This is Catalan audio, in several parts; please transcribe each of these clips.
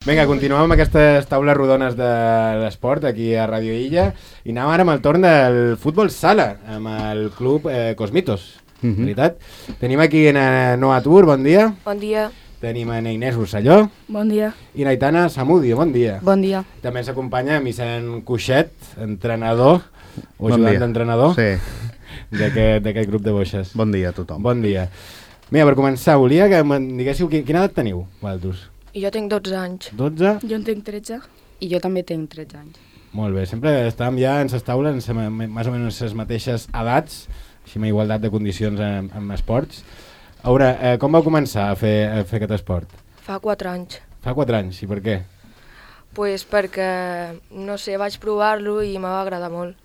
Vinga, continuem amb aquestes taules rodones de l'esport aquí a Radio Illa i anem ara amb el torn del futbol sala, amb el club Cosmitos, veritat? Tenim aquí a Noa Tur, bon dia. Bon dia. Tenim a Inés Rosselló. Bon dia. I Aitana Samudi, bon dia. Bon dia. També ens acompanya Vicent Cuixet, entrenador, o ajudant d'entrenador d'aquest grup de boixes. Bon dia a tothom. Bon dia. Mira, per començar, volia que em diguéssiu quina edat teniu, vosaltres? I jo tinc 12 anys. 12? Jo en tinc 13. I jo també tinc 13 anys. Molt bé, sempre estàvem ja en les taules, més o menys les mateixes edats, així amb igualtat de condicions en esports. A veure, com vau començar a fer aquest esport? Fa 4 anys. Fa 4 anys, i per què? Pues perquè, no sé, vaig provar-lo i m'ha agradat molt.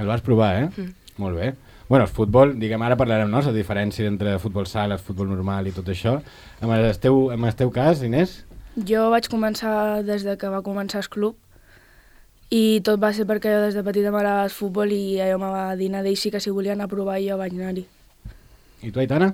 El vas provar, eh? Molt bé. Bueno, el futbol, diguem, ara parlarem, no?, la diferència entre futbol sala, futbol normal i tot això. En el teu cas, Inés? Jo vaig començar des de que va començar el club i tot va ser perquè jo des de petita m'agradava el futbol i jo me va dir a d'ells que si volien anar a provar i jo vaig anar-hi. I tu, Aitana?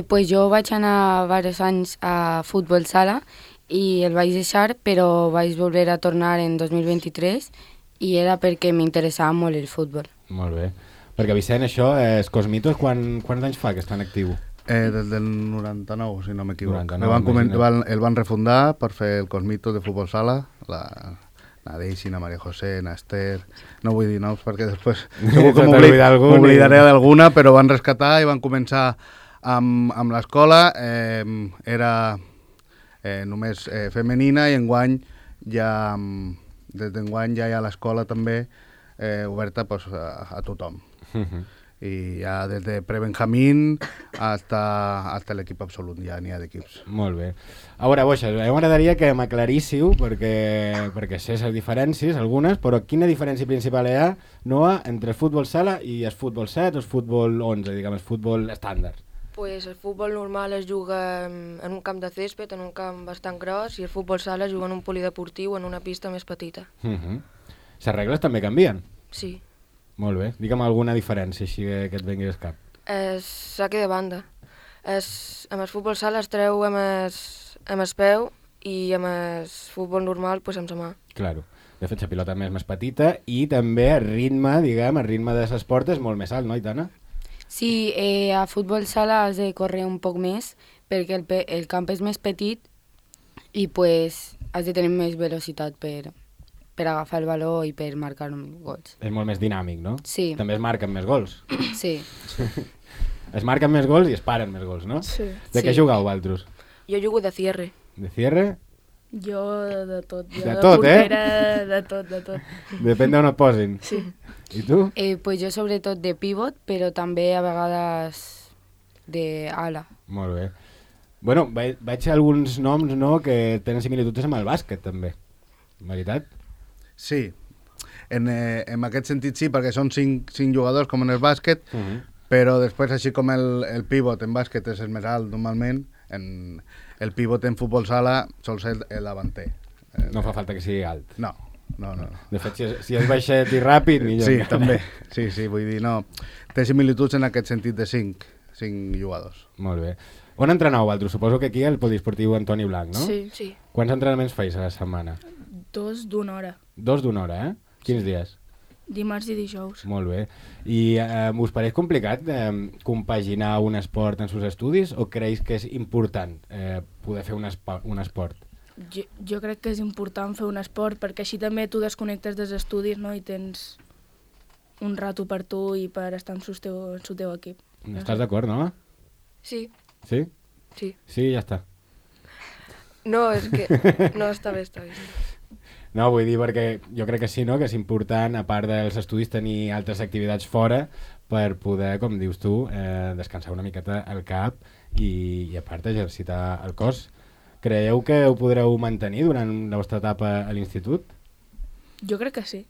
Pues jo vaig anar diversos anys a futbol sala i el vaig deixar, però vaig volver a tornar en 2023 i era perquè m'interessava molt el futbol. Molt bé. Perquè, Vicent, això, Cosmitos, quants anys fa que estan actiu? Des del 99, si no m'equivoc. El van refundar per fer el Cosmito de futbol sala, la Daisy, la Maria José, la Esther... No vull dir noms perquè després segur que m'oblidaré d'alguna, però van rescatar i van començar amb l'escola. Era només femenina i enguany ja, des d'enguany ja hi ha l'escola també oberta a tothom. I ja des de prebenjamín hasta l'equip absolut, ja n'hi ha d'equips. Molt bé. A veure, boixes, m'agradaria que m'aclaríssiu, perquè sé les diferències, algunes, però quina diferència principal hi ha, Noa, entre el futbol sala i el futbol 7 o el futbol 11, diguem, el futbol estàndard? Pues el futbol normal es juga en un camp de césped, en un camp bastant gros, i el futbol sala es juga en un polideportiu en una pista més petita. Les regles també canvien? Sí. Molt bé. Digue'm alguna diferència, així que et vengui al cap. És saque de banda. Amb el futbol sala es treu amb el peu i amb el futbol normal pues, amb la mà. Claro. De fet, la pilota més petita i també el ritme, diguem, el ritme de l'esport és molt més alt, no, Aitana? Sí, a futbol sala has de córrer un poc més perquè el camp és més petit i pues, has de tenir més velocitat per agafar el valor i per marcar gols. És molt més dinàmic, no? Sí. També es marquen més gols. Sí. Es marquen més gols i es paren més gols, no? Sí. De què jugueu, vosaltres? Jo jugo de cierre. De cierre? Jo de tot. Jo de tot, portera, de tot. Depèn d'on et posin. Sí. I tu? Pues jo sobretot de pivot, però també a vegades d'ala. Molt bé. Bueno, veig alguns noms, no?, que tenen similituds amb el bàsquet, també. Veritat? Sí, en aquest sentit sí, perquè són 5 jugadors com en el bàsquet, però després, així com el pivot en bàsquet és el més alt normalment, el pivot en futbol sala sol ser el davanter. No fa falta que sigui alt. No. De fet, si és baixet i ràpid, millor. Sí, també. Sí, vull dir, no. Té similituds en aquest sentit de 5 jugadors. Molt bé. On entreneu, vosaltres? Suposo que aquí al poliesportiu Antoni Blanc, no? Sí. Quants entrenaments feis a la setmana? 2 d'una hora. 2 d'una hora, eh? Quins dies? Dimarts i dijous. Molt bé. I us pareix complicat compaginar un esport en els estudis o creus que és important poder fer un esport? Jo crec que és important fer un esport perquè així també tu desconnectes dels estudis, no?, i tens un rato per tu i per estar en el teu equip. Estàs d'acord, no? Sí. Sí? Sí. Sí, ja està. No, és que... No, està bé. No, vull dir perquè jo crec que sí, no?, que és important, a part dels estudis, tenir altres activitats fora per poder, com dius tu, descansar una miqueta el cap i a part exercitar el cos. Creieu que ho podreu mantenir durant la vostra etapa a l'institut? Jo crec que sí.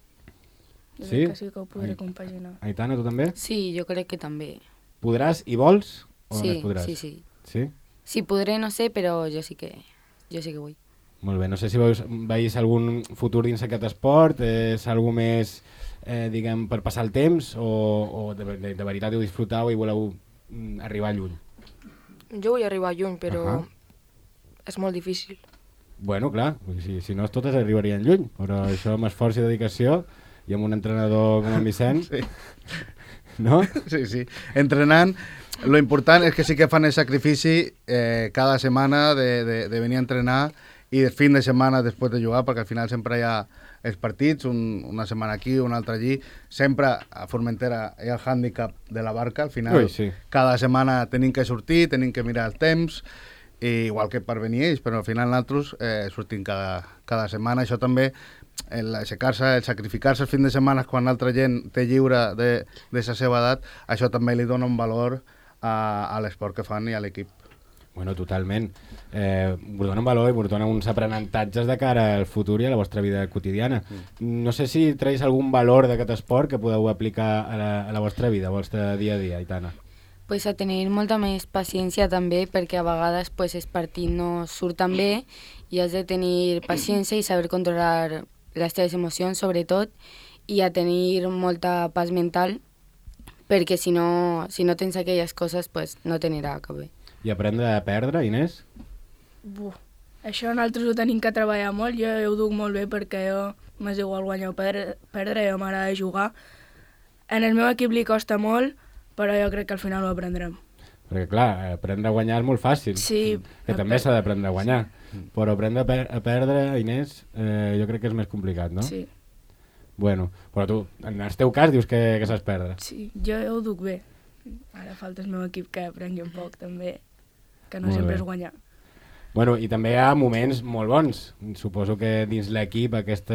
Jo crec que sí que ho podré compaginar. Aitana, tu també? Sí, jo crec que també. Podràs i vols? O sí, no podràs? Sí. Sí? Sí, podré, no sé, però jo sí que vull. Molt bé, no sé si veus algun futur dins aquest esport, és algú més, diguem, per passar el temps o de veritat ho disfrutau i voleu arribar lluny? Jo vull arribar lluny, però és molt difícil. Bueno, clar, si no totes arribarien lluny, però això amb esforç i dedicació i amb un entrenador com en Vicenç, Sí. no? Sí. Entrenant, lo important és que sí que fan el sacrifici cada setmana de venir a entrenar i el fin de setmana després de jugar, perquè al final sempre hi ha els partits, una setmana aquí, una altra allí. Sempre a Formentera hi ha el hàndicap de la barca, al final Sí. cada setmana tenim que sortir, tenim que mirar el temps, i igual que per venir ells, però al final nosaltres sortim cada setmana. Això també, l'aixecar-se, el sacrificar-se el fin de setmana quan l'altra gent té lliure de la seva edat, això també li dona un valor a l'esport que fan i a l'equip. Bueno, totalment. Us dona un valor i us dona uns aprenentatges de cara al futur i a la vostra vida quotidiana. No sé si traïs algun valor d'aquest esport que podeu aplicar a la vostra vida, al vostre dia a dia, Aitana. Pues a tenir molta més paciència també, perquè a vegades pues, els partits no surten bé i has de tenir paciència i saber controlar les teves emocions sobretot, i a tenir molta paz mental, perquè si no tens aquelles coses pues, no t'anirà cap bé. I aprendre a perdre, Inés? Això nosaltres ho tenim que treballar molt. Jo ho duc molt bé perquè jo m'és igual guanyar o perdre, jo m'agrada jugar. En el meu equip li costa molt, però jo crec que al final ho aprendrem. Perquè clar, aprendre a guanyar és molt fàcil. Sí. Que també s'ha d'aprendre a guanyar. Però aprendre a perdre, Inés, jo crec que és més complicat, no? Sí. Bueno, però tu, en el teu cas, dius que saps perdre. Sí, jo ho duc bé. Ara falta el meu equip que aprengui un poc també, que no Molt sempre bé. és guanyar. Bueno, i també hi ha moments molt bons. Suposo que dins l'equip, aquest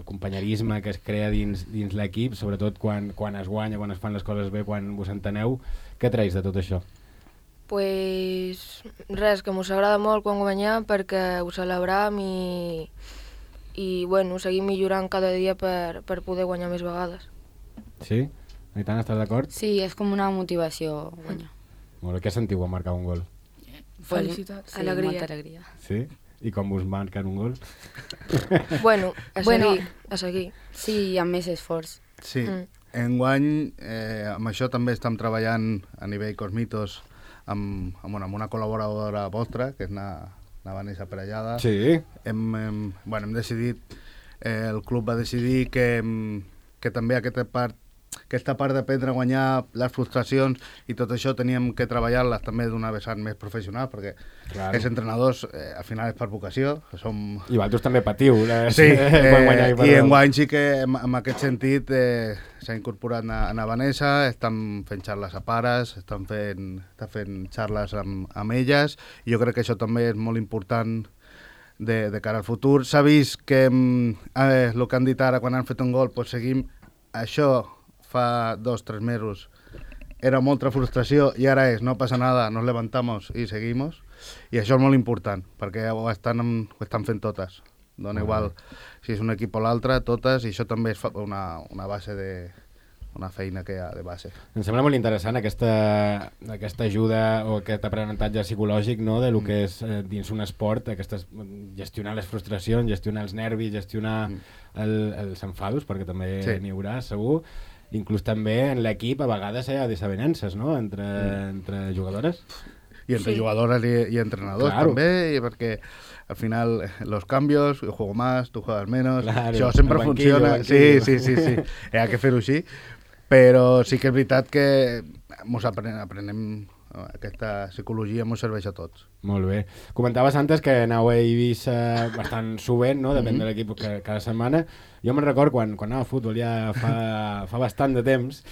companyerisme que es crea dins l'equip, sobretot quan es guanya, quan es fan les coses bé, quan vos enteneu, què traïs de tot això? Pues res, que mos agrada molt quan guanyam perquè ho celebram i bueno, seguim millorant cada dia per poder guanyar més vegades. Sí? Aitana, estàs d'acord? Sí, és com una motivació guanyar. Molt bé, què sentiu quan marcar un gol? Felicitats. Sí, Alegria. molta alegria. Sí? I com us marquen un gol? Bueno, a seguir. Sí, i amb més esforç. Sí, enguany amb això també estem treballant a nivell Cosmitos amb una col·laboradora vostra, que és la Vanessa Perellada. Sí. Hem decidit, el club va decidir que també aquesta part d'aprendre a guanyar les frustracions i tot això teníem que treballar-les també d'una vessant més professional, perquè Claro. els entrenadors al final és per vocació, som... I vosaltres també patiu. Sí, quan guanyar i enguany sí que en aquest sentit s'ha incorporat a Vanessa, estan fent xarles a pares, està fent xarles amb elles, i jo crec que això també és molt important de cara al futur. S'ha vist que el que han dit ara quan han fet un gol, pues seguim això fa 2-3 mesos. Era molta frustració i ara no passa nada, nos levantamos y seguimos. I això és molt important, perquè ho estan fent totes. Dona igual si és un equip o l'altre, totes, i això també és una base una feina que hi ha de base. Em sembla molt interessant aquesta ajuda o aquest aprenentatge psicològic, no?, de lo que és dins un esport, gestionar les frustracions, gestionar els nervis, gestionar els enfados, perquè també n'hi haurà, segur. Inclús també en l'equip a vegades hi ha desavenences, no?, entre jugadores. Y entre jugadores y entrenadores también, porque al final los cambios, yo juego más, tú juegas menos, això sempre funciona. Sí. Hay que fer-ho així, però sí que és veritat que aprenem aquesta psicologia, ens serveix a tots. Molt bé. Comentaves antes que aneu a Eivissa bastant sovint, no?, depèn de l'equip cada setmana. Jo me'n record quan anava a futbol ja fa bastant de temps,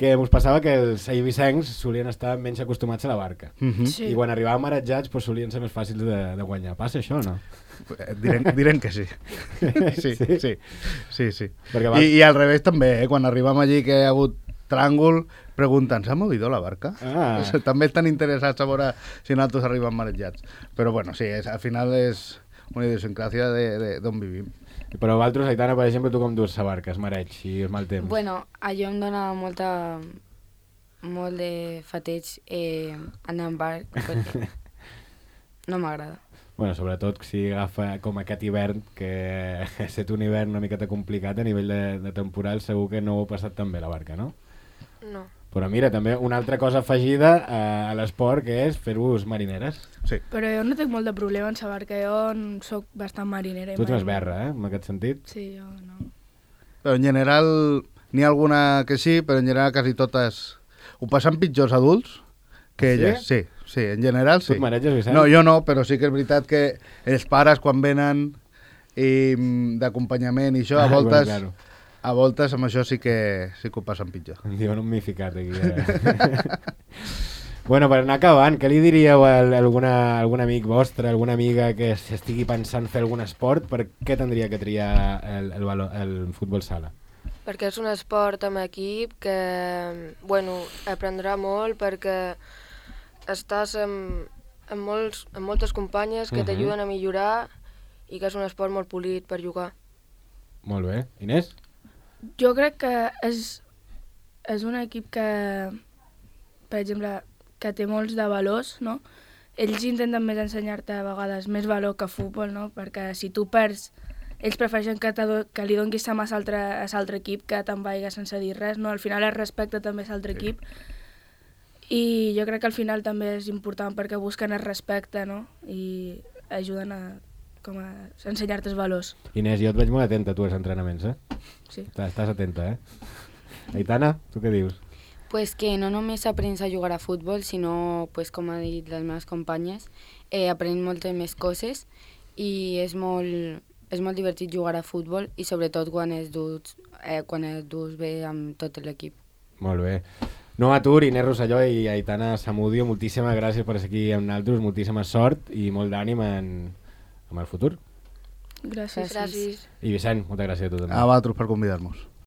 que us passava que els eivissencs solien estar menys acostumats a la barca. Sí. I quan arribaven marejats solien ser més fàcils de guanyar. Passa això o no? Direm que sí. Sí. Perquè I al revés també, quan arribem allí que hi ha hagut tràngol, pregunten, ¿s'ha movido la barca? També estan interessats a veure si nosaltres arribem marejats. Però bueno, sí, al final és una idiosincràsia d'on vivim. Però vosaltres, Aitana, per exemple, tu com dus la barca, es mareig i és mal temps? Bueno, allò em dona molt de fateig anar en barc, perquè no m'agrada. Bueno, sobretot si agafa com aquest hivern, que ha estat un hivern una miqueta complicat a nivell de temporal, segur que no ho heu passat tan bé la barca, no? No. Però mira, també una altra cosa afegida a l'esport, que és fer-vos marineres. Sí. Però jo no tinc molt de problema en saber que jo soc bastant marinera. Tu ets més berra, en aquest sentit? Sí, jo no. Però en general, n'hi ha alguna que sí, però en general quasi totes ho passen pitjors adults que elles. Sí, sí, en general sí. Tu et mareges, Vicent? No, jo no, però sí que és veritat que els pares quan venen d'acompanyament i això, a voltes... Bueno, claro. A voltes amb això sí que ho passen pitjor. Em diuen un mificat aquí. Bueno, per anar acabant, què li diríeu a algun amic vostre, alguna amiga que estigui pensant fer algun esport? Per què tindria que triar el futbol sala? Perquè és un esport amb equip que, bueno, aprendrà molt perquè estàs amb moltes companyes que t'ajuden a millorar i que és un esport molt polit per jugar. Molt bé. Inés? Jo crec que és un equip que, per exemple, que té molts de valors, no? Ells intenten més ensenyar-te a vegades més valor que futbol, no? Perquè si tu perds, ells prefereixen que li donis sa mà a l'altre equip que te'n vaiga sense dir res, no? Al final es respecta també a l'altre equip i jo crec que al final també és important perquè busquen el respecte, no? I ajuden a ensenyar-te els valors. Inés, jo et veig molt atenta a tu als entrenaments, Sí. Estàs atenta, Aitana, tu què dius? Pues que no només aprens a jugar a futbol, sinó, pues, com ha dit les meves companyes, aprens moltes més coses i és molt divertit jugar a futbol i sobretot quan es dus bé amb tot l'equip. Molt bé. No atur, Inés Rosselló i Aitana Samudio, moltíssimes gràcies per ser aquí amb nosaltres, moltíssima sort i molt d'ànim en el futur. Gràcies. Gràcies. I Vicent, moltes gràcies a tu també. A vosaltres per convidar-nos.